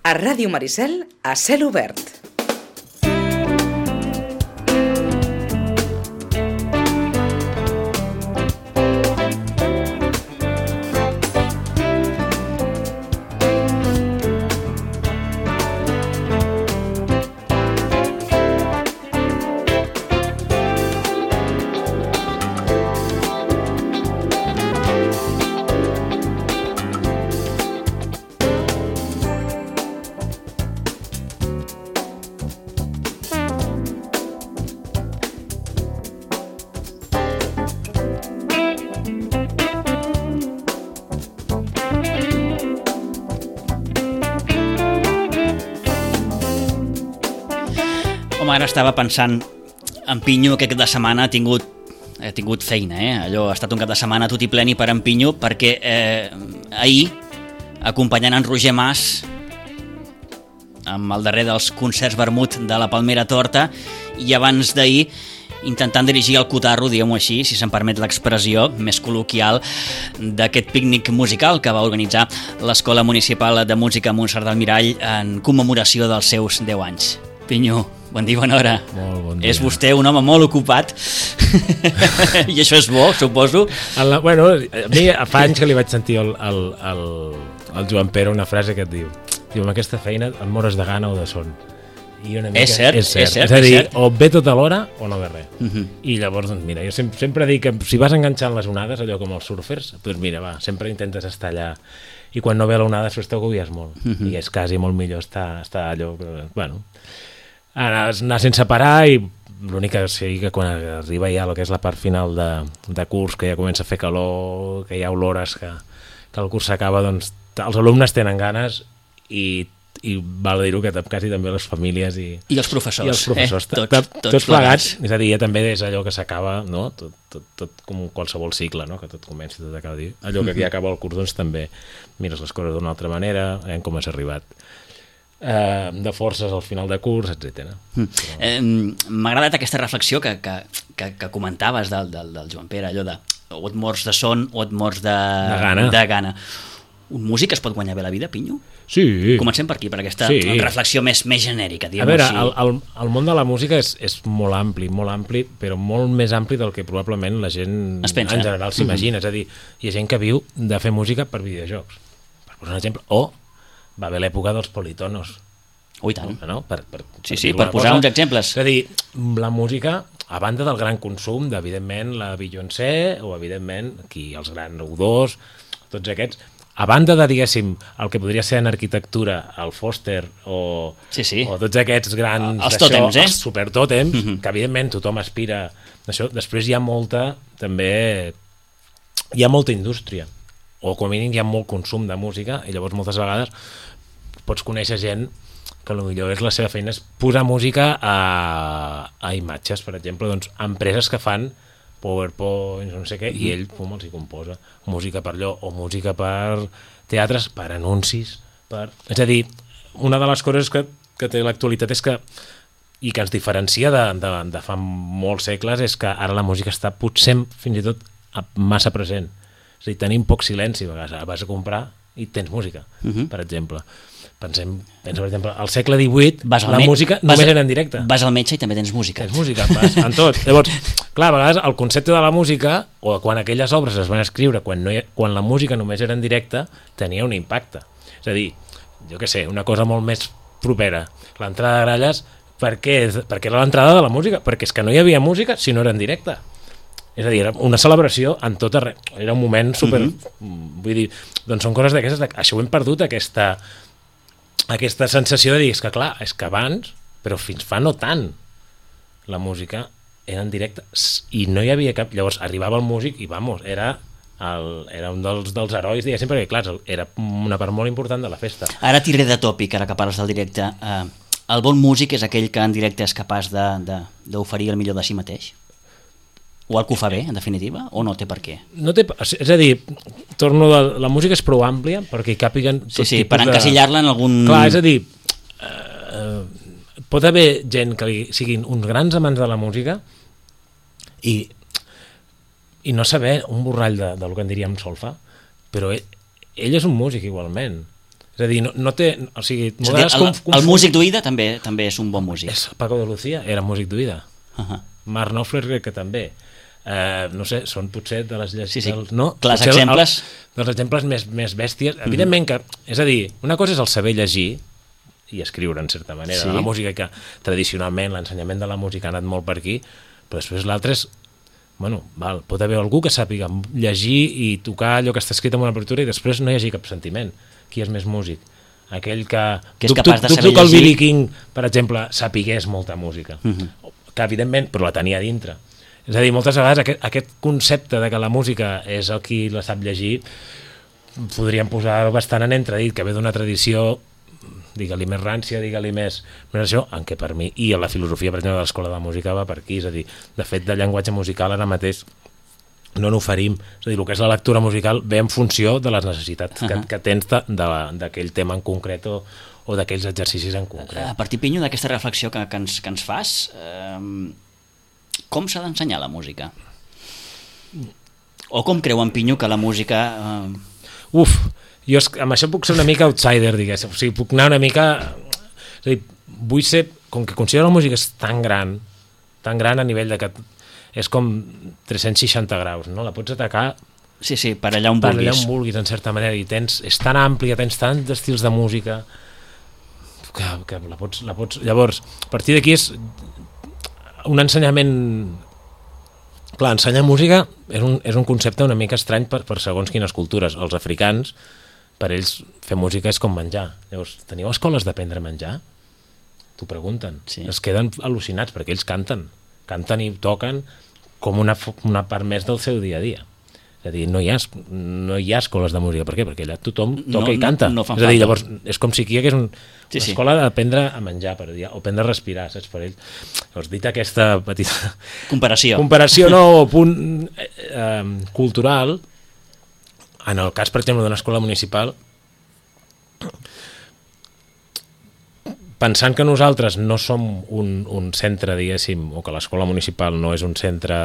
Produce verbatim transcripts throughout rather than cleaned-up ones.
A Ràdio Maricel, a cel obert. Ara estava pensant en Pinyo, que aquest de setmana ha tingut, ha tingut feina, eh? Allò ha estat un cap de setmana tot i pleni per en Pinyo, perquè eh, ahir, acompanyant en Roger Mas amb el darrer dels concerts vermut de la Palmera Torta, i abans d'ahir intentant dirigir el cotarro, diguem-ho així, si se'm permet l'expressió més col·loquial, d'aquest pícnic musical que va organitzar l'Escola Municipal de Música Montserrat del Mirall en commemoració dels seus deu anys. Pinyo, bon dia, bona hora. Molt bon dia. És vostè un home molt ocupat i això és bo, suposo. La, bueno, a mi fa anys que li vaig sentir al, al, al, al Joan Pere una frase que et diu, diu, amb aquesta feina et mores de gana o de son. I una mica, és cert, és cert. És, cert, és a dir, és cert. O ve tota l'hora o no ve res. Uh -huh. I llavors, doncs, mira, jo sempre, sempre dic que si vas enganxant les onades, allò com els surfers, doncs mira, va, sempre intentes estar allà. I quan no ve l'onada, després t'agobies molt. Uh -huh. I és quasi molt millor estar, estar allò, però, bueno... Anar, anar sense parar, i l'únic que sí que quan arriba ja el que és la part final de, de curs, que ja comença a fer calor, que hi ha olores, que, que el curs s'acaba, doncs els alumnes tenen ganes i, i val dir-ho que quasi també les famílies i, I els professors, i els professors eh? tots, tots, tots, tots plegats. plegats. És a dir, ja també és allò que s'acaba, no? tot, tot, tot com qualsevol cicle, no? Que tot comença i tot acaba. Allò que ja acaba el curs, doncs també mires les coses d'una altra manera, veiem com has arribat. Uh, de forces al final de curs, etcètera. Mm. Eh, M'ha agradat aquesta reflexió que, que, que, que comentaves del, del, del Joan Pere, allò de o et mors de son o et mors de, de, gana. de gana. Un músic es pot guanyar bé la vida, Pinyo? Sí. Comencem per aquí, per aquesta sí. reflexió més, més genèrica. A veure, així. El, el, el món de la música és, és molt ampli, molt ampli, però molt més ampli del que probablement la gent en general s'imagina. Mm-hmm. És a dir, hi ha gent que viu de fer música per videojocs, per posar un exemple, o va haver l'època dels politonos. Oh, i tant. No? Per, per, sí, sí, per posar cosa. uns exemples. És a dir, la música, a banda del gran consum d'evidentment la Beyoncé, o evidentment aquí els grans U dos, tots aquests, a banda de, diguéssim, el que podria ser en arquitectura, el Foster, o, sí, sí. o tots aquests grans... Els tòtems, eh? Els supertòtems, mm-hmm. que evidentment tothom aspira d'això. Després hi ha molta, també, hi ha molta indústria, o com a mínim hi ha molt consum de música, i llavors moltes vegades pots conèixer gent que potser és la seva feina és posar música a, a imatges, per exemple, doncs empreses que fan PowerPoint, no sé què, mm-hmm. i ell com els hi composa música per allò, o música per teatres, per anuncis, per... És a dir, una de les coses que, que té l'actualitat és que, i que ens diferencia de, de, de fa molts segles, és que ara la música està potser fins i tot massa present. És a dir, tenim poc silenci, a vegades vas a comprar i tens música, uh-huh. per exemple. Pensem, pensa, per exemple, al segle divuit la música només vas, era en directe. Vas al metge i també tens música. Tens música, vas, en tot. Llavors, clar, a vegades el concepte de la música, o quan aquelles obres es van escriure, quan, no hi, quan la música només era en directe, tenia un impacte. És a dir, jo què sé, una cosa molt més propera. L'entrada de gralles, per què? Perquè era l'entrada de la música, perquè és que no hi havia música si no era en directe. És a dir, era una celebració en tot arreu. Era un moment super... Mm-hmm. Vull dir, doncs són coses d'aquestes... Això ho hem perdut, aquesta, aquesta sensació de dir, és que clar, és que abans, però fins fa no tant, la música era en directe i no hi havia cap... Llavors arribava el músic i, vamos, era... El, era un dels, dels herois, diguéssim, perquè clar, era una part molt important de la festa. Ara tiré de tòpic, ara que parles del directe. Eh, el bon músic és aquell que en directe és capaç d'oferir el millor de si mateix? O el que ho fa bé, en definitiva? O no té per què? No té, és a dir, torno de, la música és prou àmplia perquè hi càpiguen tot sí, sí, tipus per encasillar-la en algun... Clar, és a dir, eh, pot haver gent que li siguin uns grans amants de la música i, i no saber un borrall de, del que en diríem solfa, però ell, ell és un músic igualment. És És a dir, no, no té... O sigui, És a dir, el, conf, el músic d'oïda també també és un bon músic. És Paco de Lucía, era músic d'oïda. Uh -huh. Marc Knopfler crec que també. Uh, no sé, són potser de les llegis... Sí, sí, dels, no? clars Potser exemples. El, dels exemples més, més bèsties. Mm -hmm. Evidentment que, és a dir, una cosa és el saber llegir i escriure, en certa manera, sí. La música, que tradicionalment l'ensenyament de la música ha anat molt per aquí, però després l'altre és, bueno, val, pot haver algú que sàpiga llegir i tocar allò que està escrit en una partitura i després no hi hagi cap sentiment. Qui és més músic? Aquell que... que és capaç de saber llegir. Que el llegir. Billy King, per exemple, sapigués molta música. Mm -hmm. Que, evidentment, però la tenia a dintre. És a dir, moltes vegades aquest, aquest concepte de que la música és el qui la sap llegir podríem posar bastant en entredit, que ve d'una tradició, digue-li més rància, digue-li més, més això, en què per mi, i la filosofia, per exemple, de l'escola de música va per aquí, és a dir, de fet, de llenguatge musical ara mateix no n'oferim, és a dir, el que és la lectura musical ve en funció de les necessitats uh -huh. que, que tens d'aquell tema en concret o, o d'aquells exercicis en concret. A partir, Pinyo, d'aquesta reflexió que, que, ens, que ens fas, eh, com s'ha d'ensenyar la música? O com creu en Pinyo que la música... Eh... Uf, jo amb això puc ser una mica outsider, diguéssim, o sigui, puc anar una mica... És a dir, vull ser... Com que considero la música és tan gran, tan gran a nivell de que és com tres-cents seixanta graus, no? La pots atacar... Sí, sí, per allà on per vulguis. Per allà on vulguis, en certa manera, i tens, és tan àmplia, tens tants estils de música que, que la, pots, la pots... Llavors, a partir d'aquí és un ensenyament... Clar, ensenyar música és un, és un concepte una mica estrany per, per segons quines cultures. Els africans, per ells, fer música és com menjar. Llavors, teniu escoles d'aprendre a menjar? T'ho pregunten. Sí. Es queden al·lucinats perquè ells canten. Canten i toquen com una, una part més del seu dia a dia. És a dir, no hi ha, no hi ha escoles de música. Per què? Perquè allà tothom toca no, i canta. No, no és a dir, llavors, és com si aquí hi hagués un, sí, una sí. escola d'aprendre a menjar, per dir, o aprendre a respirar, saps, per ells. Llavors, dit aquesta petita... Comparació. Comparació, no, punt eh, eh, cultural, en el cas, per exemple, d'una escola municipal, pensant que nosaltres no som un, un centre, diguéssim, o que l'escola municipal no és un centre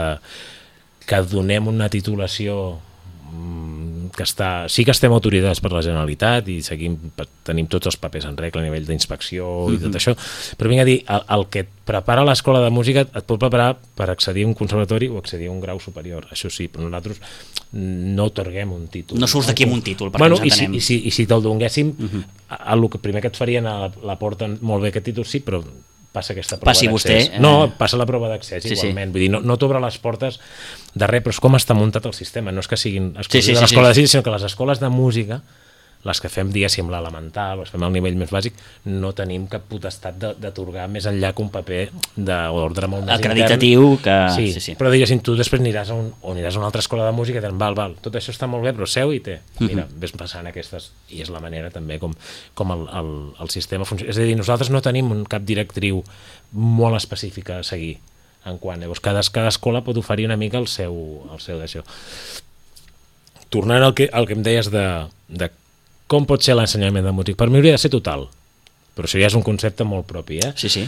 que donem una titulació que està, sí que estem autoritzats per la Generalitat i seguim, tenim tots els papers en regla a nivell d'inspecció i tot això, però vinc a dir, el, el que et prepara l'escola de música et pot preparar per accedir a un conservatori o accedir a un grau superior, això sí, però nosaltres no otorguem un títol. No surts d'aquí amb un títol, perquè bueno, ens entenem. I si, i si, i si te'l donguéssim, uh -huh. el que primer que et farien a la, la porta, molt bé aquest títol, sí, però passa aquesta prova Passi d'accés. vostè, eh... No, passa la prova d'accés sí, igualment. Sí. Vull dir, no, no t'obre les portes de res, però és com està muntat el sistema. No és que siguin exclusius sí, sí, de l'escola sí, sí. de cine, sinó que les escoles de música, les que fem, diguéssim, l'elemental, les fem al nivell més bàsic, no tenim cap potestat d'atorgar més enllà que un paper d'ordre molt més acreditatiu intern. que... Sí, sí, sí. però diguéssim, tu després aniràs a, un, o aniràs a una altra escola de música i diran, val, val, tot això està molt bé, però seu i té. Mira, ves passant aquestes, i és la manera també com, com el, el, el sistema funciona. És a dir, nosaltres no tenim un cap directriu molt específica a seguir en quant, llavors cada, cada escola pot oferir una mica el seu, el seu d'això. Tornant al que, al que em deies de, de com pot ser l'ensenyament de música, per mi hauria de ser total, però això ja és un concepte molt propi, eh? Sí, sí.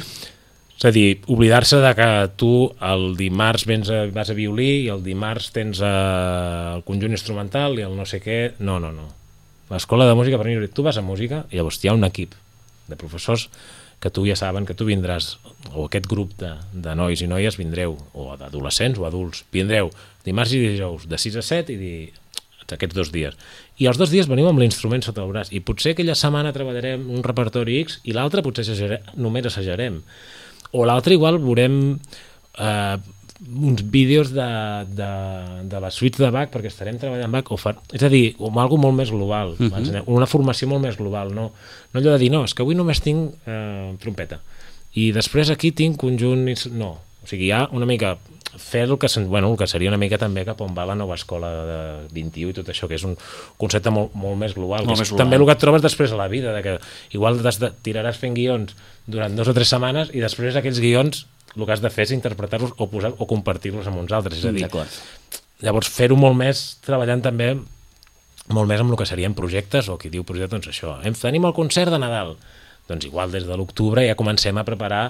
És a dir, oblidar-se de que tu el dimarts vens a, vas a violí i el dimarts tens a, el conjunt instrumental i el no sé què, no, no, no. L'escola de música, per mi, tu vas a música i llavors hi ha un equip de professors que tu ja saben que tu vindràs, o aquest grup de, de nois i noies vindreu, o d'adolescents o adults, vindreu dimarts i dijous de sis a set i dir, aquests dos dies. I els dos dies veniu amb l'instrument sota el braç i potser aquella setmana treballarem un repertori X i l'altre potser assajarem, només assajarem. O l'altre igual veurem eh, uns vídeos de, de, de les suites de Bach perquè estarem treballant Bach, o fa, és a dir, com algo molt més global, uh -huh. una formació molt més global, no, no allò de dir, no, és que avui només tinc eh, trompeta i després aquí tinc conjunt, no, o sigui, hi ha una mica fer el que, bueno, el que seria una mica també cap on va la nova escola de vint-i-u i tot això, que és un concepte molt, molt més global, molt que més és global. També el que et trobes després a la vida, de que igual de, tiraràs fent guions durant dues o tres setmanes i després aquells guions el que has de fer és interpretar-los o, posar, o compartir-los amb uns altres, és a dir, llavors fer-ho molt més, treballant també molt més amb el que serien projectes, o qui diu projecte, doncs això, hem, tenim el concert de Nadal, doncs igual des de l'octubre ja comencem a preparar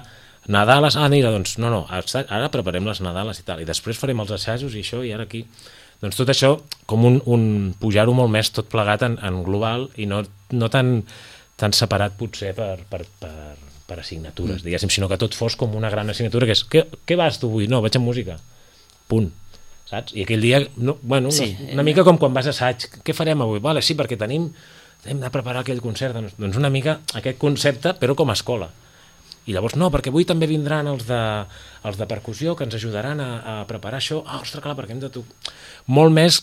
Nadales, ah, mira, doncs no, no, ara preparem les Nadales i tal, i després farem els assajos i això, i ara aquí Doncs tot això, com un, un pujar-ho molt més tot plegat en, en global i no, no tan, tan separat potser per, per, per, per assignatures, mm. diguéssim, sinó que tot fos com una gran assignatura, que és, què, què vas tu avui? No, vaig amb música. Punt. Saps? I aquell dia, no, bueno, sí, una, una mica com quan vas a assaig, què farem avui? Vale, sí, perquè tenim, hem de preparar aquell concert, doncs, doncs una mica aquest concepte, però com a escola. I llavors, no, perquè avui també vindran els de, els de percussió que ens ajudaran a, a preparar això. Ah, ostres, clar, perquè hem de... Tu... Molt més,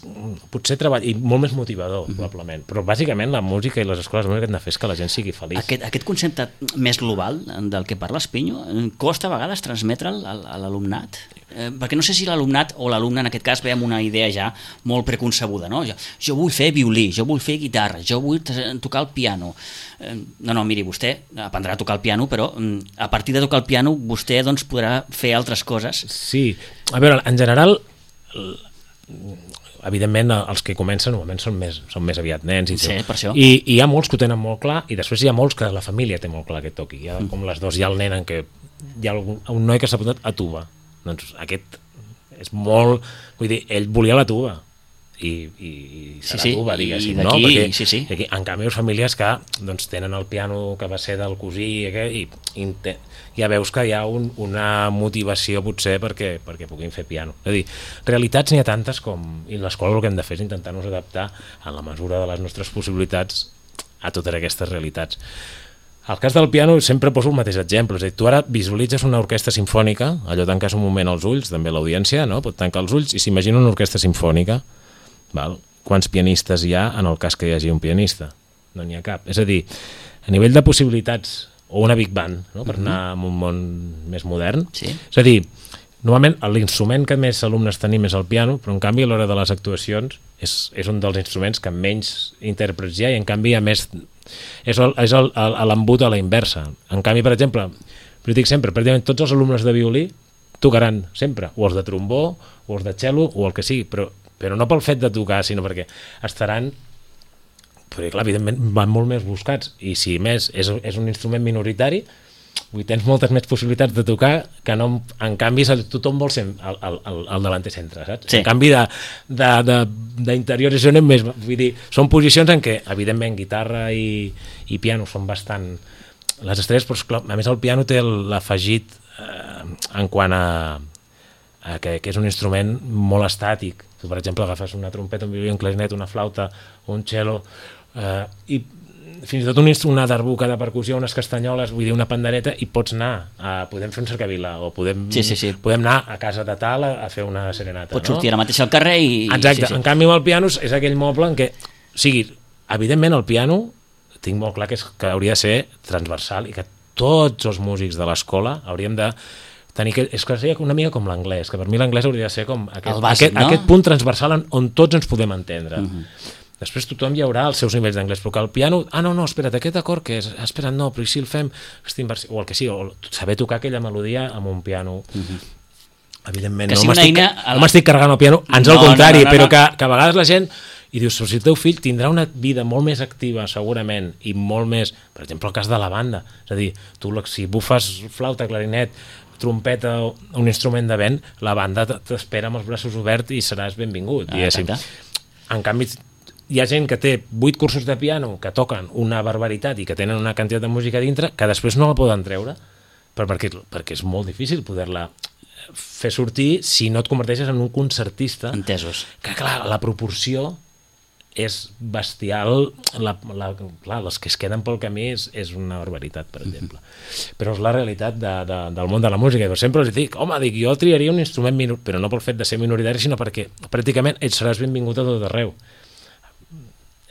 potser treball, i molt més motivador, mm-hmm. probablement. Però bàsicament la música i les escoles de música han de fer que la gent sigui feliç. Aquest, aquest concepte més global del que parles, Pinyo, costa a vegades transmetre'l a l'alumnat? Eh, perquè no sé si l'alumnat o l'alumne en aquest cas ve amb una idea ja molt preconcebuda, no? Jo, jo vull fer violí, jo vull fer guitarra, jo vull tocar el piano. Eh, no, no, miri, vostè aprendrà a tocar el piano, però a partir de tocar el piano vostè doncs, podrà fer altres coses. Sí, a veure, en general, evidentment els que comencen normalment són més, són més aviat nens i, sí, per això. I, i hi ha molts que ho tenen molt clar i després hi ha molts que la família té molt clar que toqui. Hi ha com les dues, hi ha el nen en què hi ha un, un noi que s'ha apuntat a tuba. Doncs aquest és molt... Vull dir, ell volia la tuba i, i, i serà sí, sí. tuba, diguéssim, no? Perquè sí, sí. Aquí, en canvi, les famílies que doncs, tenen el piano que va ser del cosí i, i, i ja veus que hi ha un, una motivació potser perquè, perquè puguin fer piano. És a dir, realitats n'hi ha tantes com... I l'escola el que hem de fer és intentar-nos adaptar en la mesura de les nostres possibilitats a totes aquestes realitats. Al cas del piano sempre poso el mateix exemple, és a dir, tu ara visualitzes una orquestra simfònica, allò tanques un moment els ulls, també l'audiència, no? Pot tancar els ulls i s'imagina una orquestra simfònica, val? Quants pianistes hi ha en el cas que hi hagi un pianista? No n'hi ha cap. És a dir, a nivell de possibilitats, o una big band, no? Per anar a un món més modern, sí. És a dir, normalment l'instrument que més alumnes tenim és el piano, però en canvi a l'hora de les actuacions és, és un dels instruments que menys intèrprets hi ha i en canvi a més és l'embut a la inversa. En canvi, per exemple, jo dic sempre, pràcticament tots els alumnes de violí tocaran sempre, o els de trombó o els de cello o el que sigui, però, però no pel fet de tocar, sinó perquè estaran, perquè clar, evidentment van molt més buscats i si més és, és un instrument minoritari, vull, tens moltes més possibilitats de tocar que no, en canvi tothom vol ser el, el, el, el davanter centre, saps? Sí. En canvi d'interior és més, vull dir, són posicions en què evidentment guitarra i, i piano són bastant les estrelles, però clar, a més el piano té l'afegit eh, en quant a, a que, que és un instrument molt estàtic. Tu, per exemple, agafes una trompeta, un violí, un clarinet, una flauta, un cello eh, i fins i tot un, una darbuca de percussió, unes castanyoles, vull dir, una pandereta, i pots anar, a, podem fer un cercavila, o podem, sí, sí, sí. podem anar a casa de tal a, a fer una serenata. Pots no? sortir ara mateix al carrer i... Exacte, sí, sí. En canvi el piano és aquell moble en què, o sigui, evidentment el piano, tinc molt clar que, és, que hauria de ser transversal i que tots els músics de l'escola hauríem de tenir que, és que seria una mica com l'anglès, que per mi l'anglès hauria de ser com aquest, bàsic, aquest, no? aquest punt transversal on, on tots ens podem entendre. Uh-huh. Després tothom hi haurà els seus nivells d'anglès, però que el piano, ah, no, no, espera't, aquest acord que és, espera't, no, però si el fem, o el que sigui, o saber tocar aquella melodia amb un piano, uh-huh. evidentment, que no m'estic la... no carregant el piano, ans no, al contrari, no, no, no, però que, que a vegades la gent, i dius, si el teu fill tindrà una vida molt més activa, segurament, i molt més, per exemple, el cas de la banda, és a dir, tu si bufes flauta, clarinet, trompeta, un instrument de vent, la banda t'espera amb els braços oberts i seràs benvingut, ah, diguéssim. En canvi, hi ha gent que té vuit cursos de piano que toquen una barbaritat i que tenen una quantitat de música dintre que després no la poden treure perquè, perquè és molt difícil poder-la fer sortir si no et converteixes en un concertista. Entesos. Que clar, la proporció és bestial, la, la, clar, les que es queden pel camí és, és una barbaritat, per exemple. Mm-hmm. Però és la realitat de, de, del món de la música. Jo sempre els dic, home, dic, jo triaria un instrument minor, però no pel fet de ser minoritari, sinó perquè pràcticament ets seràs benvingut a tot arreu.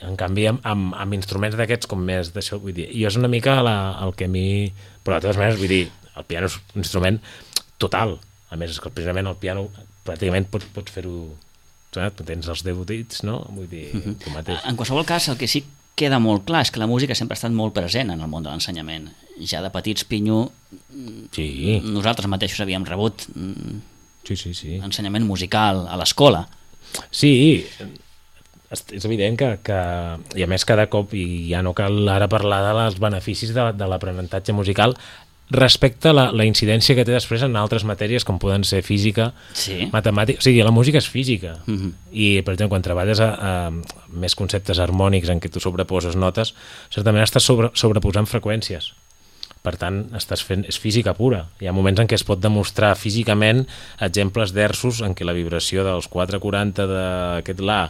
En canvi, amb, amb, amb instruments d'aquests com més d'això, vull dir, i és una mica la, el que a mi... Però de totes maneres, vull dir, el piano és un instrument total. A més, és que precisament el piano pràcticament pots, pots fer-ho... Tens els deu dits, no? Vull dir, uh-huh. tu mateix. En qualsevol cas, el que sí queda molt clar és que la música sempre ha estat molt present en el món de l'ensenyament. Ja de petits, Pinyo, sí. nosaltres mateixos havíem rebut sí, sí, sí. ensenyament musical a l'escola. Sí, és evident que, que, i a més cada cop, i ja no cal ara parlar dels beneficis de, de l'aprenentatge musical respecte a la, la incidència que té després en altres matèries com poden ser física, sí. matemàtica, o sigui, la música és física Uh-huh. i per exemple quan treballes a, a més conceptes harmònics en què tu sobreposes notes, certament estàs sobre, sobreposant freqüències, per tant estàs fent, és física pura. Hi ha moments en què es pot demostrar físicament exemples d'ersos en què la vibració dels quatre quaranta d'aquest La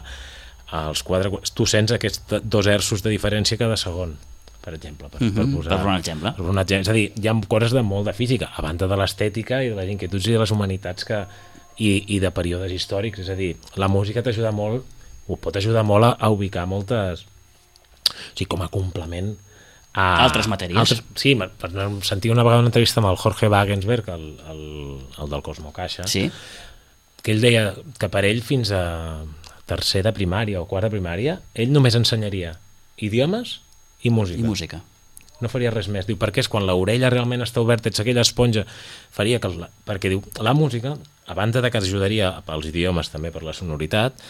als quatre, tu sents aquests dos hertzos de diferència cada segon, per exemple, per, Uh-huh. per posar per un exemple. per un exemple. És a dir, hi ha coses de molt de física, a banda de l'estètica i de les inquietuds i de les humanitats que, i, i de períodes històrics. És a dir, la música t'ajuda molt, o pot ajudar molt a, a ubicar moltes, o sigui, com a complement a Altres matèries. Altres, sí, per sentir una vegada una entrevista amb el Jorge Wagensberg, el, el, el del Cosmo Caixa, Sí. que ell deia que per ell fins a tercer de primària o quart de primària, ell només ensenyaria idiomes i música. I música. No faria res més. Diu, perquè és quan l'orella realment està oberta, ets aquella esponja, faria que... La, perquè diu, la música, a banda de que ajudaria pels idiomes també per la sonoritat,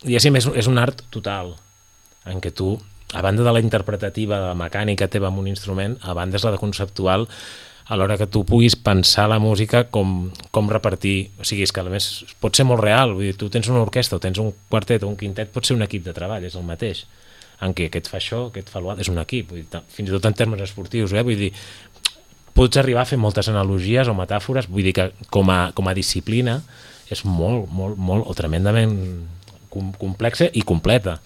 diguéssim, és, és un art total, en què tu, a banda de la interpretativa, de la mecànica teva amb un instrument, a banda és la de conceptual, a l'hora que tu puguis pensar la música com, com repartir, o sigui, és que a més pot ser molt real, vull dir, tu tens una orquestra o tens un quartet o un quintet, pot ser un equip de treball, és el mateix, en què aquest fa això, aquest fa l'altre, és un equip, vull dir, fins i tot en termes esportius, eh? Vull dir, pots arribar a fer moltes analogies o metàfores, vull dir que com a, com a disciplina és molt, molt, molt, o tremendament com, complexa i completa.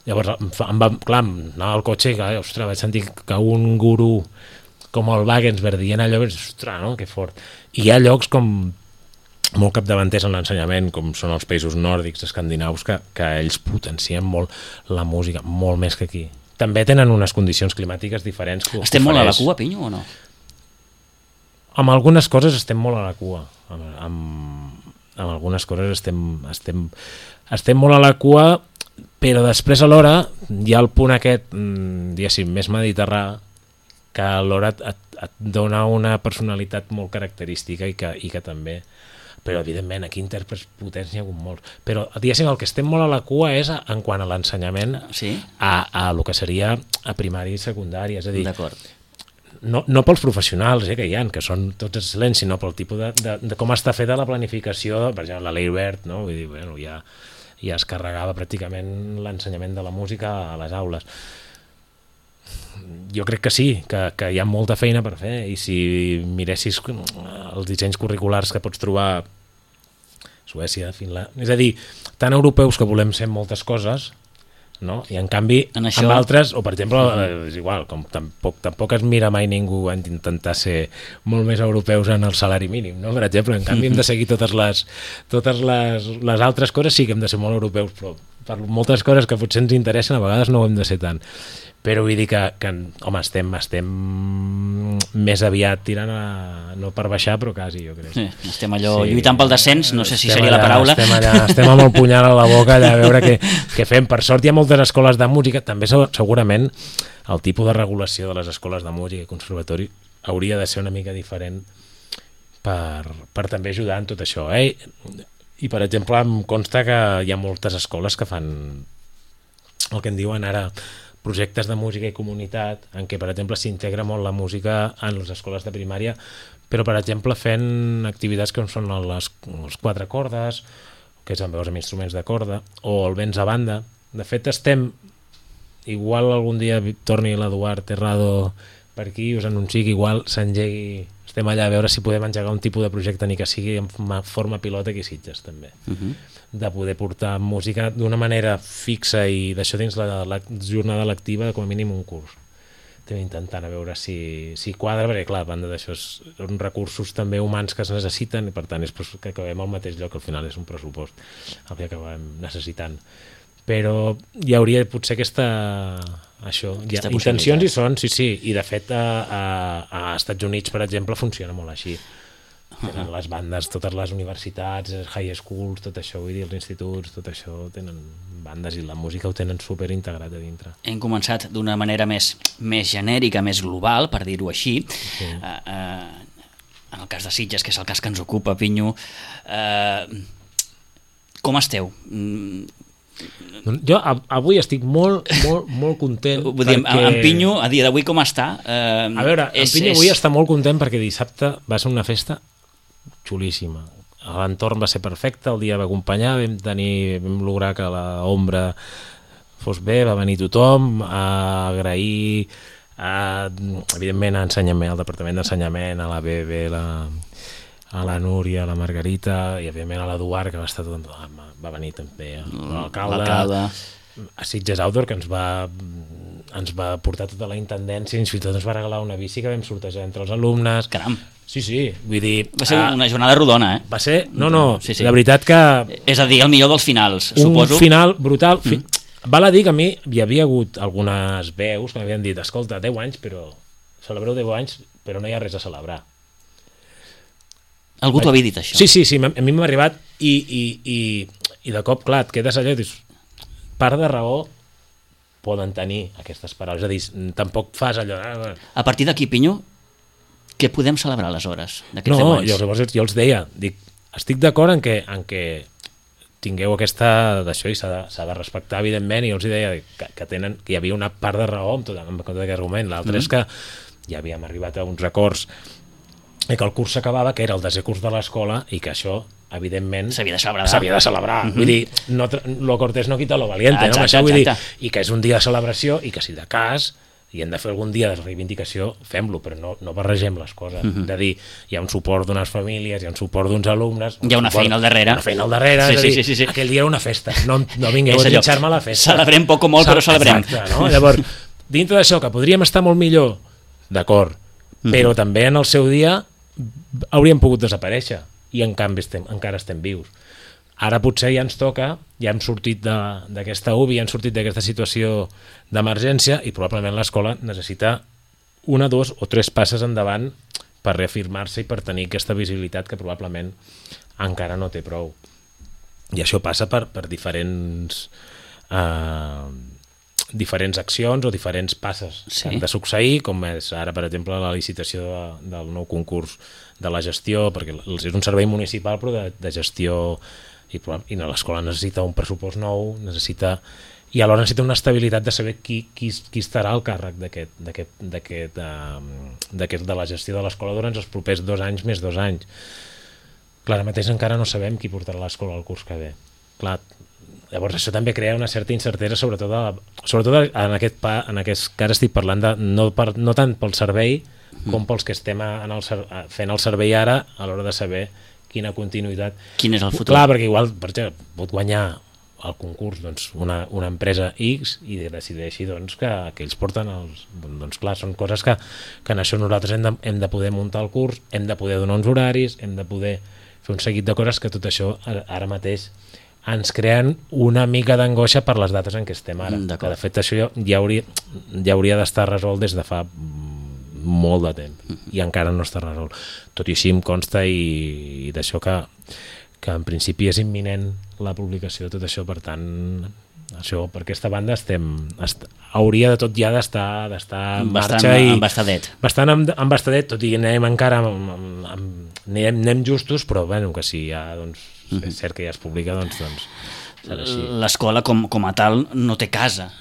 Llavors, em fa, em va, clar, anava al cotxe i, ostres, vaig sentir que un gurú com el Wagensberg dient allò, ostres, no? Que fort. I hi ha llocs com molt capdavanters en l'ensenyament, com són els països nòrdics, escandinaus, que, que ells potencien molt la música, molt més que aquí. També tenen unes condicions climàtiques diferents. Que Estem molt a la ofereix. cua, Pinyo, o no? Amb algunes coses estem molt a la cua. Amb, amb, amb algunes coses estem, estem, estem molt a la cua, però després alhora hi ha el punt aquest, diguéssim, més mediterrà, que alhora et, et, et dona una personalitat molt característica i que, i que també... Però, evidentment, aquí intèrprets potents n'hi ha hagut molts. Però, diguéssim, el que estem molt a la cua és a, en quant a l'ensenyament Sí? a, a el que seria a primària i secundària. És a dir, D'acord. no, no pels professionals eh, que hi ha, que són tots excel·lents, sinó pel tipus de, de, de com està feta la planificació, per exemple, la Leibert, no? Vull dir, bueno, ja, ja es carregava pràcticament l'ensenyament de la música a les aules. Jo crec que sí, que, que hi ha molta feina per fer, i si miressis els dissenys curriculars que pots trobar a Suècia, Finlàndia, és a dir, tan europeus que volem ser moltes coses, no? I en canvi En això- amb altres, o per exemple és igual, com tampoc, tampoc es mira mai ningú a intentar ser molt més europeus en el salari mínim, no? Per exemple, en canvi hem de seguir totes les totes les, les altres coses, sí que hem de ser molt europeus, però per moltes coses que potser ens interessen a vegades no ho hem de ser tant. Però vull dir que, que home, estem, estem més aviat tirant a, no per baixar, però quasi, jo crec. Sí, estem allò sí. lluitant pel descens, no sé si Estem seria allà, la paraula. Estem allà, estem amb el punyal a la boca allà a veure què, què fem. Per sort hi ha moltes escoles de música, també segurament el tipus de regulació de les escoles de música i conservatori hauria de ser una mica diferent per, per també ajudar en tot això. Eh? I per exemple em consta que hi ha moltes escoles que fan el que en diuen ara projectes de música i comunitat, en què, per exemple, s'integra molt la música en les escoles de primària, però, per exemple, fent activitats com són les, les quatre cordes, que és amb veus amb instruments de corda, o el vents a banda. De fet, estem... Igual algun dia torni l'Eduard Terrado per aquí, us anunci que igual s'engegui... Estem allà a veure si podem engegar un tipus de projecte, ni que sigui en forma pilota aquí a Sitges, també. Uh -huh. De poder portar música d'una manera fixa i d'això dins la, la jornada lectiva, com a mínim un curs. Estem intentant a veure si, si quadra, perquè clar, a banda d'això són recursos també humans que es necessiten i per tant és que acabem al mateix lloc, al final és un pressupost el que acabem necessitant. Però hi hauria potser aquesta... això, ja, intencions hi són, sí, sí, i de fet a, a, a Estats Units, per exemple, funciona molt així. Tenen les bandes, totes les universitats, high schools, tot això, vull dir, els instituts, tot això, tenen bandes i la música ho tenen super integrat a dintre. Hem començat d'una manera més, més genèrica, més global, per dir-ho així. Sí. Uh, uh, en el cas de Sitges, que és el cas que ens ocupa, Pinyo, uh, com esteu? Mm, Jo avui estic molt, molt, molt content. Vull dir, perquè... en Pinyo, a dia d'avui com està? Eh, a veure, és, en Pinyo és... avui està molt content perquè dissabte va ser una festa xulíssima. L'entorn va ser perfecte, el dia va acompanyar, vam tenir, vam lograr que l'ombra fos bé, va venir tothom a agrair, a, evidentment, a ensenyament, al Departament d'Ensenyament, a la B B, la... a la Núria, a la Margarita i evidentment a l'Eduard, que va estar tot... va venir també l'alcalde, a Sitges Outdoor, que ens va ens va portar tota la intendència, fins i tot ens va regalar una bici que vam sortejar entre els alumnes. Caram! Sí, sí, vull dir... Va ser una jornada rodona, eh? Va ser... No, no, sí, sí. La veritat que... És a dir, el millor dels finals, un suposo. Un final brutal. Mm. Val a dir que a mi hi havia hagut algunes veus que m'havien dit, escolta, deu anys, però celebreu deu anys, però no hi ha res a celebrar. Algú t'ho havia dit, això? Sí, sí, sí, a mi m'ha arribat i, i, i, i de cop, clar, et quedes allà i dius, part de raó poden tenir aquestes paraules, és a dir, tampoc fas allò... A partir d'aquí, Pinyo, què podem celebrar aleshores d'aquests no, deu anys? Jo, llavors jo els deia, dic, estic d'acord en, que, en que tingueu aquesta d'això i s'ha de, s'ha de respectar, evidentment, i jo els deia que, que, tenen, que hi havia una part de raó amb tot, amb tot aquest argument, l'altre mm. és que ja havíem arribat a uns acords i que el curs s'acabava, que era el desè curs de l'escola i que això, evidentment, s'havia de celebrar. S'havia de celebrar. Mm-hmm. Vull dir, no, lo cortés no quita lo valiente, exacte, no? Això vull exacte. dir, i que és un dia de celebració i que si de cas i hem de fer algun dia de reivindicació, fem-lo, però no, no barregem les coses. Mm-hmm. De dir, hi ha un suport d'unes famílies, hi ha un suport d'uns alumnes... Hi ha una suport, feina al darrere. Una feina al darrere, sí, és a dir, sí, sí, sí. aquell dia era una festa. No, no vingueu a trinxar-me a la festa. Celebrem poc o molt, però celebrem. Exacte, no? Llavors, dintre d'això, que podríem estar molt millor, d'acord, mm-hmm. però també en el seu dia hauríem pogut desaparèixer i en canvi estem, encara estem vius. Ara potser ja ens toca, ja hem sortit d'aquesta U B I, ja hem sortit d'aquesta situació d'emergència i probablement l'escola necessita una, dos o tres passes endavant per reafirmar-se i per tenir aquesta visibilitat que probablement encara no té prou. I això passa per, per diferents... Eh, diferents accions o diferents passes sí. que han de succeir, com és ara, per exemple, la licitació de, del nou concurs de la gestió, perquè és un servei municipal però de, de gestió i, i l'escola necessita un pressupost nou, necessita i alhora necessita una estabilitat de saber qui, qui, qui estarà al càrrec d'aquest, d'aquest, d'aquest, um, d'aquest, de la gestió de l'escola durant els propers dos anys més dos anys. Clar, ara mateix encara no sabem qui portarà l'escola al curs que ve. Clar, llavors això també crea una certa incertesa, sobretot, a, sobretot en aquest pa, en aquest cas estic parlant de, no, per, no tant pel servei com pels que estem en el, fent el servei ara a l'hora de saber quina continuïtat. Quin és el futur? Clar, perquè igual, per exemple, pot guanyar el concurs doncs, una, una empresa X i decideixi doncs, que, que ells porten els... Doncs clar, són coses que, que en això nosaltres hem de, hem de poder muntar el curs, hem de poder donar uns horaris, hem de poder fer un seguit de coses que tot això ara mateix ens creen una mica d'angoixa per les dates en què estem ara. Mm, que de fet això ja hauria, ja hauria d'estar resolt des de fa molt de temps mm. i encara no està resolt. Tot i així em consta i, i d'això que, que en principi és imminent la publicació de tot això, per tant això, per aquesta banda estem, est, hauria de tot ja d'estar d'estar en bastant marxa i embastadet. bastant embastadet, tot i que anem encara amb, amb, amb, anem, anem justos, però bueno, que si ja doncs, mm-hmm. és cert que ja es publica, doncs, doncs serà així. L'escola com, com a tal no té casa,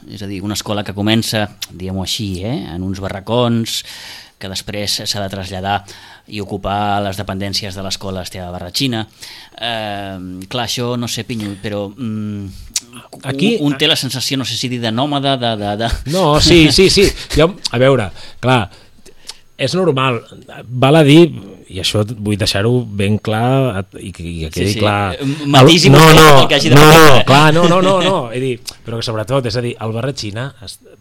és a dir, una escola que comença, diguem-ho així, eh, en uns barracons, que després s'ha de traslladar i ocupar les dependències de l'escola Esteve Barratxina. Eh, clar, això no sé, Pinyo, però mm, aquí un, un té la sensació, no sé si dir de nòmada, de... de, de... No, sí, sí, sí. Jo, a veure, clar, és normal, val a dir, i això vull deixar-ho ben clar i que, i que quedi sí, sí. clar. Matís i no, no, el que hagi de no, fer. clar, no, no, no, no, he dit, però que sobretot, és a dir, el Barratxina,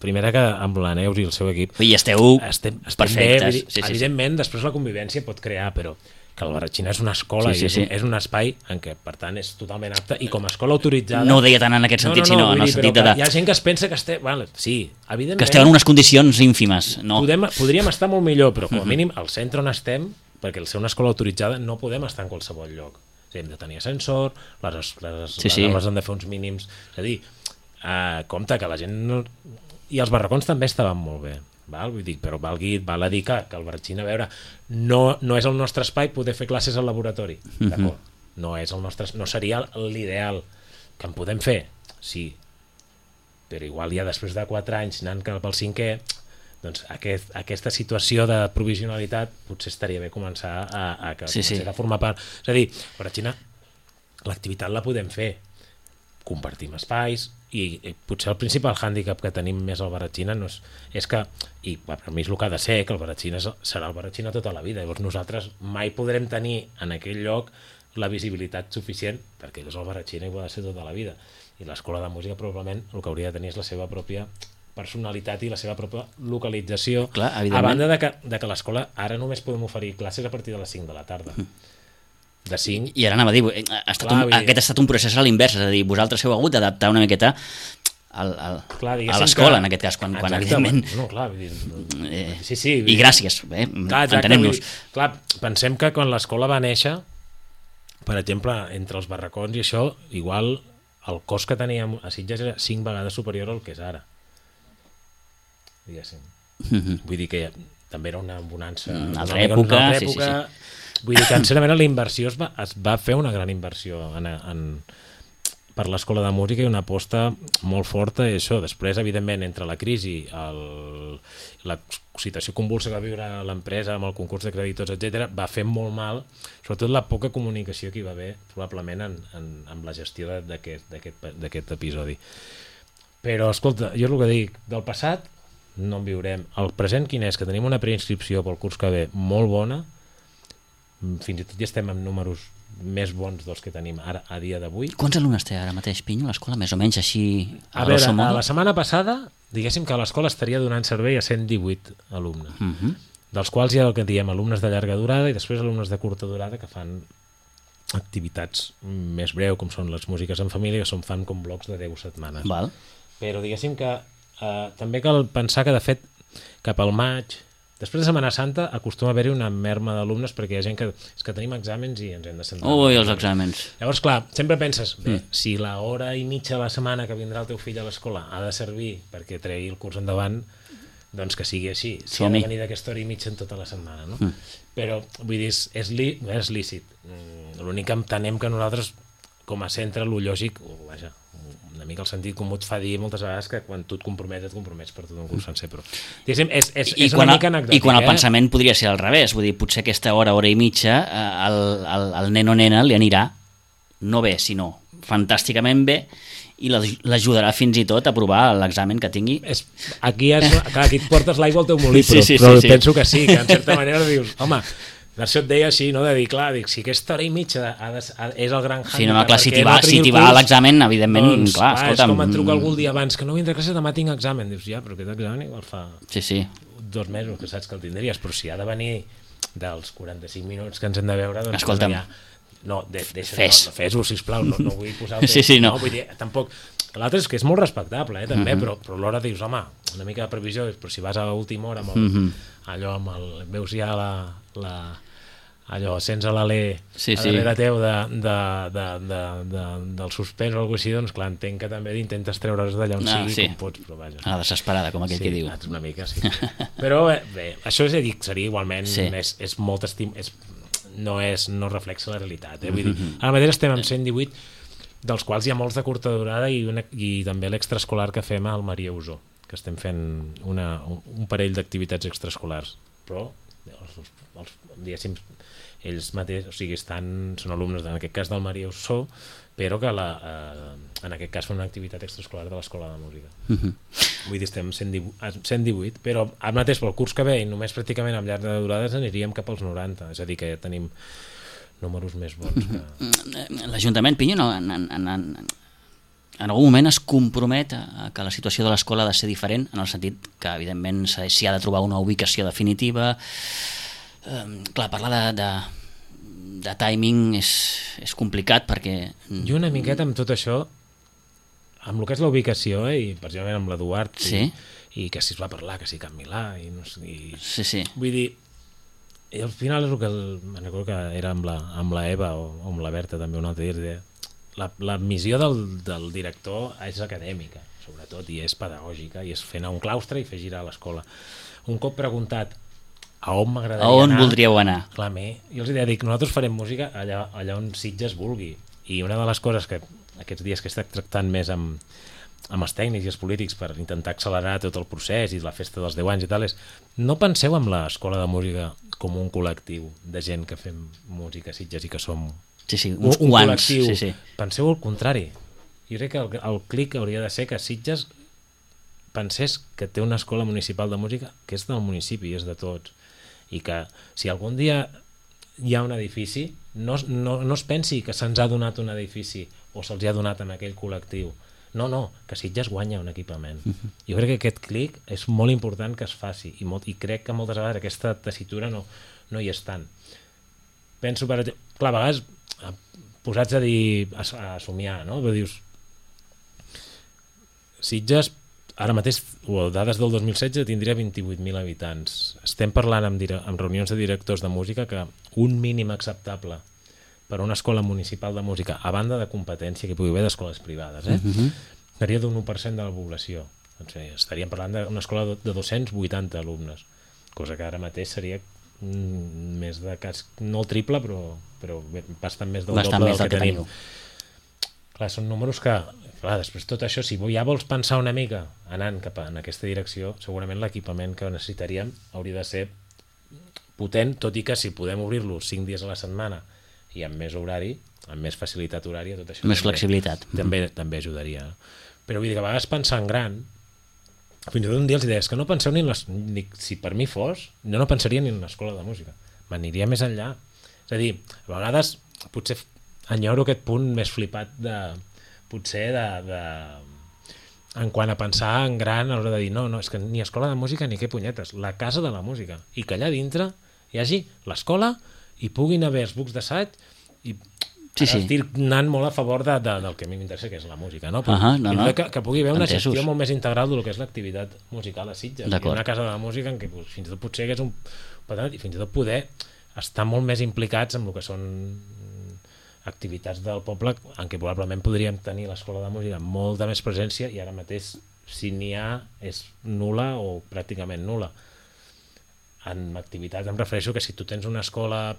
primera que amb la Neus i el seu equip... I esteu estem, estem perfectes. Bé, dir, sí, sí, evidentment, sí. Després la convivència pot crear, però que el Barratxina és una escola sí, sí, i és, sí. és un espai en què, per tant, és totalment apte i com a escola autoritzada... No ho deia tant en aquest sentit, no, no, no, sinó en el dir, sentit de... Hi ha gent que es pensa que esteu... Vale, sí, evidentment... Que esteu en unes condicions ínfimes, no? Podem, podríem estar molt millor, però com a mínim al centre on estem, perquè al ser una escola autoritzada no podem estar en qualsevol lloc. O sigui, hem de tenir ascensor, les, les, sí, sí. les aules han de fer uns mínims... És a dir, eh, compte que la gent... No... I els barracons també estaven molt bé. Val? Vull dir, però valgui, val a dir que, que el Barratxina, a veure, no, no és el nostre espai poder fer classes al laboratori, d'acord? No és el nostre, no seria l'ideal, que en podem fer, sí, però igual ja després de quatre anys anant cap al cinquè, doncs aquest, aquesta situació de provisionalitat potser estaria bé començar a, a, a, sí, sí. a formar part. És a dir, per a Xina l'activitat la podem fer, compartim espais, i, i potser el principal hàndicap que tenim més al Barratxina no és, és que, i per mi és el que ha de ser, que el Barratxina serà el Barratxina tota la vida, llavors nosaltres mai podrem tenir en aquell lloc la visibilitat suficient, perquè és el Barratxina i ho ha de ser tota la vida, i l'escola de música probablement el que hauria de tenir és la seva pròpia personalitat i la seva pròpia localització. Clar, a banda de que, de que l'escola ara només podem oferir classes a partir de les cinc de la tarda, de cinc. I ara anava a dir, ha estat Clar, un, aquest ha estat un procés a l'invers, és a dir, vosaltres heu hagut d'adaptar una miqueta al, al, clar, a l'escola, que, en aquest cas, quan, quan evidentment... No, clar, vull dir, eh, sí, sí, I gràcies, eh, entenem-nos. Clar, pensem que quan l'escola va néixer, per exemple, entre els barracons i això, igual el cost que teníem a Sitges era cinc vegades superior al que és ara. Diguéssim. Mm-hmm. Vull dir que també era una bonança. Una altra època, una altra època. Sí, sí, sí. Vull dir que, sincerament, la inversió es va, es va fer una gran inversió en, en, per l'escola de música i una aposta molt forta i això. Després, evidentment, entre la crisi, el, la situació convulsa que va viure l'empresa amb el concurs de creditors, etcètera, va fer molt mal, sobretot la poca comunicació que hi va haver, probablement, en, en, en la gestió d'aquest episodi. Però, escolta, jo és el que dic, del passat no en viurem. El present quin és? Que tenim una preinscripció pel curs que ve molt bona, fins i tot ja estem amb números més bons dels que tenim ara a dia d'avui. Quants alumnes té ara mateix, Pinyo, l'escola? Més o menys així a, a veure, a la setmana passada, diguéssim que l'escola estaria donant servei a cent divuit alumnes, uh-huh. dels quals hi ha el que diem alumnes de llarga durada i després alumnes de curta durada que fan activitats més breu, com són les músiques en família, que són fan com blocs de deu setmanes. Val. Però diguéssim que eh, també cal pensar que de fet cap al maig, després de Setmana Santa, acostuma a haver-hi una merma d'alumnes perquè hi ha gent que, és que tenim exàmens i ens hem de sentar. Ui, els exàmens. Llavors, clar, sempre penses, bé, mm. si l'hora i mitja a la setmana que vindrà el teu fill a l'escola ha de servir perquè tregui el curs endavant, doncs que sigui així. Si Som-hi. ha de venir d'aquesta hora i mitja en tota la setmana, no? Mm. Però, vull dir, és, és, li, és lícit. L'únic que entenem que nosaltres, com a centre, lo lògic, oh, vaja, una mica el sentit comú et fa dir moltes vegades que quan tu et compromets, et compromets per tot un curs sencer, però diguéssim, és, és, I és una quan, mica anecdòtic. I quan el eh? pensament podria ser al revés, vull dir, potser aquesta hora, hora i mitja, al, al, al nen o nena li anirà no bé, sinó fantàsticament bé, i l'ajudarà fins i tot a provar l'examen que tingui. És, aquí, és, clar, aquí et portes l'aigua al teu molí, sí, però, sí, sí, però sí. penso que sí, que en certa manera dius, home, això et deia així, no? De dir, clar, dic, si aquesta hora i mitja ha de, ha, és el gran hàndicap... Sí, no, clar, si t'hi va, si va a l'examen, evidentment, doncs, clar, clar, escolta'm... És com et truca algú el dia abans, que no vindré a classe, demà tinc examen. Dius, ja, però aquest examen igual fa sí, sí. dos mesos que saps que el tindries, però si ha de venir dels quaranta-cinc minuts que ens hem de veure, doncs... Escolta'm, ja, no, de, deixa, fes. No, fes-ho, sisplau, no, no vull posar... El sí, sí, no. no vull dir, tampoc... L'altre és que és molt respectable, eh, també, uh -huh. però, però alhora dius, home, una mica de previsió, però si vas a l'última hora amb el, uh -huh. allò amb el... veus ja la... la allò, sents a l'alè sí, a darrere teu de, de, de, de, de, del suspens o alguna cosa així, doncs clar, entenc que també intentes treure's d'allà on ah, sigui sí. com pots, però vaja. A la desesperada, com aquell sí, que diu. una mica, sí. Però bé, bé això és a dir, seria igualment, sí. és, és molt estim... És, no, és, no reflexa la realitat. Eh? Vull dir, ara mateix estem amb cent divuit, dels quals hi ha molts de curta durada i, una, i també l'extraescolar que fem al Maria Usó, que estem fent una, un, un parell d'activitats extraescolars. Però, els, els, diguéssim, ells mateixos, o sigui, estan, són alumnes, en aquest cas del Maria Usó, però que la, eh, en aquest cas fan una activitat extraescolar de l'Escola de Música. Uh-huh. Vull dir, estem cent divuit, però ara mateix pel curs que ve i només pràcticament amb llarga durada aniríem cap als noranta, és a dir, que ja tenim números més bons. Que... L'Ajuntament, Pinyo, no, en, en, en, en algun moment es compromet a que la situació de l'escola ha de ser diferent, en el sentit que, evidentment, s'hi ha de trobar una ubicació definitiva. Eh, clar, parlar de, de, de timing és, és complicat perquè... I una miqueta amb tot això, amb el que és la ubicació, eh, i precisament amb l'Eduard, sí. i, i que si es va parlar, que si Can Milà, i no sé... I, sí, sí. Vull dir, i al final és el que, el, me recordo que era amb la, amb la Eva o, o amb la Berta també un altre dia, la, la missió del, del director és acadèmica, sobretot, i és pedagògica, i és fer anar un claustre i fer girar l'escola. Un cop preguntat a on m'agradaria anar... A on voldríeu anar? Clar, mi, jo els deia, dic, nosaltres farem música allà, allà on Sitges vulgui. I una de les coses que aquests dies que he estat tractant més amb, amb els tècnics i els polítics per intentar accelerar tot el procés i la festa dels deu anys i tal, és no penseu en l'escola de música com un col·lectiu de gent que fem música a Sitges i que som sí, sí, uns un, un quants, col·lectiu. Sí, sí. Penseu el contrari. Jo crec que el, el clic hauria de ser que Sitges pensés que té una escola municipal de música que és del municipi i és de tots, i que si algun dia hi ha un edifici no, no, no es pensi que se'ns ha donat un edifici o se'ls ha donat en aquell col·lectiu. No, no, que Sitges guanya un equipament. Uh-huh. Jo crec que aquest clic és molt important que es faci i, molt, i crec que moltes vegades aquesta tessitura no, no hi és tant. Penso, per exemple, clar, a vegades posats a dir, a, a somiar, no? Però dius, Sitges, ara mateix, o dades del dos mil setze, tindria vint-i-vuit mil habitants. Estem parlant amb, amb reunions de directors de música que un mínim acceptable per a una escola municipal de música, a banda de competència que pugui haver d'escoles privades, eh? Uh-huh. Seria d'un u per cent de la població. Doncs bé, estaríem parlant d'una escola de dos-cents vuitanta alumnes, cosa que ara mateix seria mm, més de cas, no el triple, però, però bastant més del bastant doble més del que, que tenim. teniu. Clar, són números que, clar, després tot això, si ja vols pensar una mica anant cap a, en aquesta direcció, segurament l'equipament que necessitaríem hauria de ser potent, tot i que si podem obrir-lo cinc dies a la setmana i amb més horari, amb més facilitat horària, tot això més també, flexibilitat. També, també ajudaria. Però vull dir que a vegades pensar en gran, fins i tot un dia els deies que no penseu ni en les... Ni, si per mi fos, jo no pensaria ni en l'escola de música. M'aniria més enllà. És a dir, a vegades potser enyoro aquest punt més flipat de... potser de... de en quant a pensar en gran a l'hora de dir no, no, és que ni escola de música ni què punyetes, la casa de la música, i que allà dintre hi hagi l'escola i puguin haver els bucs d'assaig i sí, sí. estic anant molt a favor de, de, del que a mi m'interessa, que és la música, no? Però, uh-huh, no, no. Que, que pugui haver una Entesos. gestió molt més integral del que és l'activitat musical a Sitges, i una casa de la música en què pues, fins i tot potser hagués un patronat i fins i tot poder estar molt més implicats en el que són activitats del poble en què probablement podríem tenir l'escola de música amb molta més presència i ara mateix si n'hi ha és nul·la o pràcticament nul·la. En activitats em refereixo que si tu tens una escola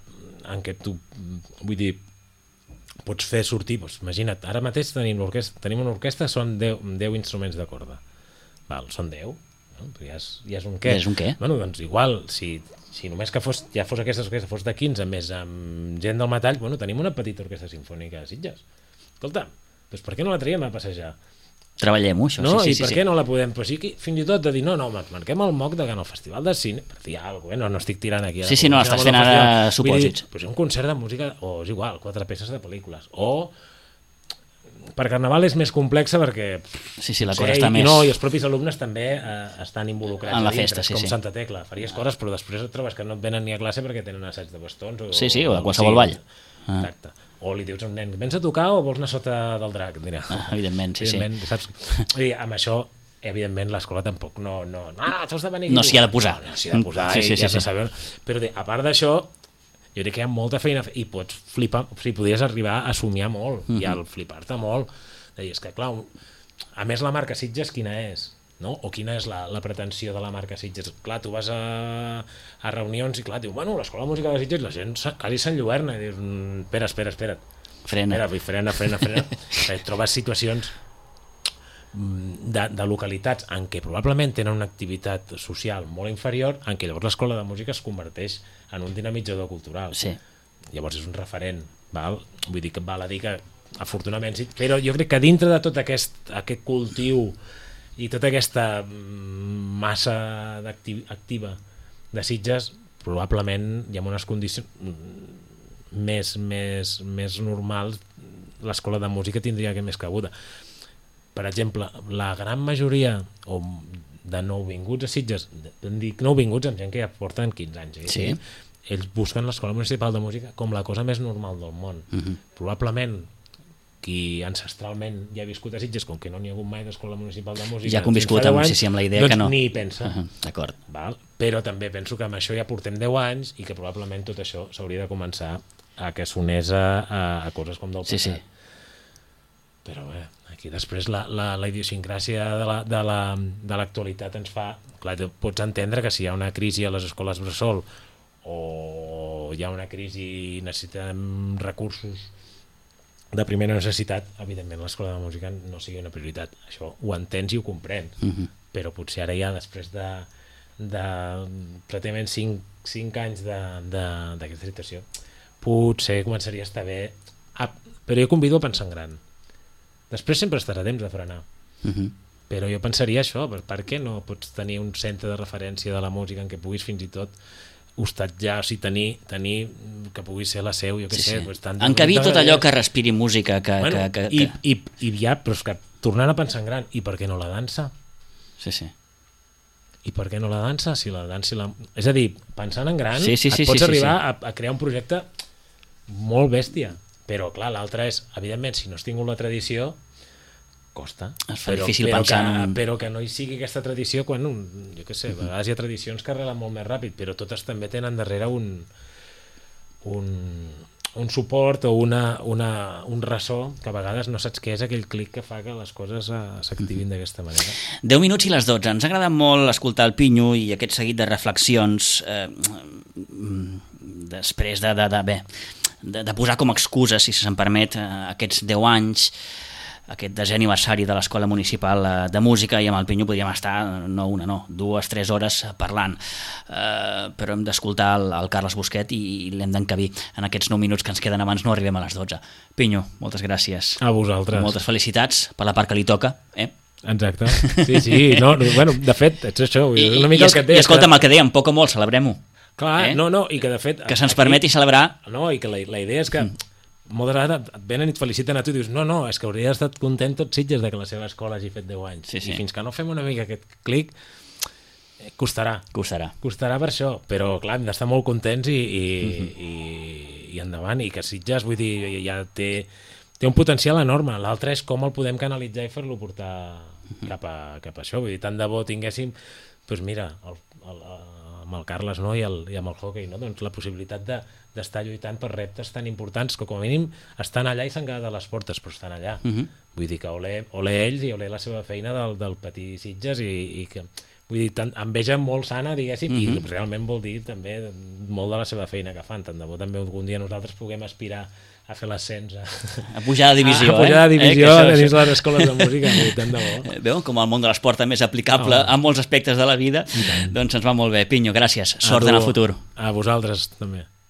en què tu, vull dir, pots fer sortir, doncs, imagina't, ara mateix tenim, tenim una orquestra, són deu instruments de corda. Val, són deu, no? Ja, és, ja és un què. Ja és un què. Bueno, doncs igual, si, si només que fos, ja fos aquesta orquestra, fos de quinze, més amb gent del metall, bueno, tenim una petita orquestra sinfònica a Sitges. Escolta, doncs per què no la traiem a passejar? Treballem-ho, això. No, sí, i sí, per sí, què sí. no la podem? Però sí que fins i tot de dir, no, no, marquem el moc de que en el Festival de Cine, per dir alguna cosa, no, no estic tirant aquí. Sí, sí, no, estàs fent ara supòsits. Però és un concert de música, o és igual, quatre peces de pel·lícules, o per Carnaval és més complexa perquè sí, sí, la sé, cosa està i, més... no, i els propis alumnes també eh, estan involucrats en la dintre, festa, sí, com sí. Santa Tecla, faries coses però després et trobes que no et venen ni a classe perquè tenen assaig de bastons o, sí, sí, o de qualsevol sí, ball. Exacte. O li dius a un nen, vens a tocar o vols anar sota del drac? Mira, ah, evidentment, sí, evidentment, sí. Saps? I amb això, evidentment, l'escola tampoc no... No, no, no, de venir no s'hi ha de posar. No, no s'hi ha de posar, sí, sí, sí, sí, sí. sí. Saber. Però a part d'això, jo crec que hi ha molta feina i pots flipar, o sigui, podries arribar a somiar molt mm -hmm. i al flipar-te molt. I és que, clar, a més la marca Sitges quina és? No? O quina és la, la pretensió de la marca Sitges? Clar, tu vas a, a reunions i clar, diu, bueno, l'escola de música de Sitges, la gent quasi s'enlluerna i dius, espera, espera, espera. Frena. Espera, frena, frena, frena. Et trobes situacions de, de localitats en què probablement tenen una activitat social molt inferior, en què llavors l'escola de música es converteix en un dinamitzador cultural. Sí. Llavors és un referent, val? Vull dir que val a dir que afortunadament sí, però jo crec que dintre de tot aquest, aquest cultiu i tota aquesta massa activa de Sitges, probablement hi ha unes condicions més, més, més normals, l'escola de música tindria que més cabuda. Per exemple, la gran majoria o de nouvinguts a Sitges, dic nouvinguts amb gent que ja porten quinze anys, eh? Sí. Ells busquen l'escola municipal de música com la cosa més normal del món. Uh-huh. Probablement qui ancestralment ja ha viscut a Sitges, com que no n'hi ha hagut mai d'escola municipal de música, ja ha conviscut amb, anys, sí, sí, amb la idea doncs que no. Ni hi pensa. Uh-huh. D'acord. Val? Però també penso que amb això ja portem deu anys i que probablement tot això s'hauria de començar a que sonés a, a, a coses com del passat. Sí, sí. Però bé, aquí després la, la, la idiosincràsia de la, de la, de l'actualitat ens fa... Clar, pots entendre que si hi ha una crisi a les escoles bressol o hi ha una crisi i necessitem recursos de primera necessitat, evidentment l'escola de música no sigui una prioritat. Això ho entens i ho comprens, uh -huh. però potser ara ja després de, de pràcticament cinc, cinc anys d'aquesta situació potser començaria a estar bé, ah, però jo convido a pensar en gran. Després sempre estarà temps de frenar, uh -huh. però jo pensaria això, per, per què no pots tenir un centre de referència de la música en què puguis fins i tot hostatjar, o sigui, tenir, tenir que pugui ser la seu, jo què sí, sé, sí. Pues, tant encabir tot allò que respiri música que, bueno, que, que, i, que... i, i ja, però és que tornant a pensar en gran, i per què no la dansa? Sí, sí. I per què no la dansa? Si la dansa la... És a dir, pensant en gran, sí, sí, sí, et pots sí, arribar sí, sí. A, a crear un projecte molt bèstia, però clar, l'altre és, evidentment, si no has tingut la tradició, costa. Es fa però, difícil però pensar que, en... però que no hi sigui aquesta tradició quan, un, jo què sé, a vegades hi ha tradicions que arrelen molt més ràpid, però totes també tenen darrere un un, un suport o una, una, un ressò que a vegades no saps què és aquell clic que fa que les coses s'activin d'aquesta manera. deu minuts i les dotze. Ens ha agradat molt escoltar el Pinyo i aquest seguit de reflexions eh, després de, de, de, bé, de, de posar com a excusa, si se'm permet, aquests deu anys, aquest desè aniversari de l'Escola Municipal de Música, i amb el Pinyo podríem estar, no una, no, dues, tres hores parlant, uh, però hem d'escoltar el, el Carles Busquet i, i l'hem d'encabir en aquests nou minuts que ens queden abans no arribem a les dotze. Pinyo, moltes gràcies. A vosaltres. Moltes felicitats per la part que li toca, eh? Exacte, sí, sí, no, bueno, de fet, ets això, I, una mica i, el que et deia. I escolta'm, el que dèiem, poc o molt, celebrem-ho. Clar, eh? no, no, i que de fet... Que se'ns permeti celebrar... No, i que la, la idea és que... Mm. moltes vegades et venen i et feliciten a tu i dius, no, no, és que hauria estat content tots Sitges de que la seva escola hagi fet deu anys. Sí, sí. I fins que no fem una mica aquest clic, eh, costarà. Costarà. Costarà per això, però clar, hem d'estar molt contents i, i, mm-hmm. i, i endavant, i que Sitges, vull dir, ja té, té un potencial enorme. L'altre és com el podem canalitzar i fer-lo portar mm-hmm. cap, a, cap a això. Vull dir, tant de bo tinguéssim, doncs mira, el, el, amb el Carles, no? I, el, i amb el hockey, no? Doncs la possibilitat de d'estar lluitant per reptes tan importants que com a mínim estan allà i s'han quedat a les portes, però estan allà. Uh-huh. Vull dir que ole, ole ells i ole la seva feina del, del petit Sitges i, i que, vull dir, tan, enveja molt sana, diguéssim, uh-huh. i realment vol dir també molt de la seva feina que fan. Tant de bo també algun dia nosaltres puguem aspirar a fer l'ascens a, a pujar de divisió, a, a pujar de divisió eh? eh? dins les escoles de música, tant de bo. Veu com el món de l'esport també és aplicable oh. a molts aspectes de la vida, doncs ens va molt bé. Pinyo, gràcies, sort en el futur. A vosaltres també.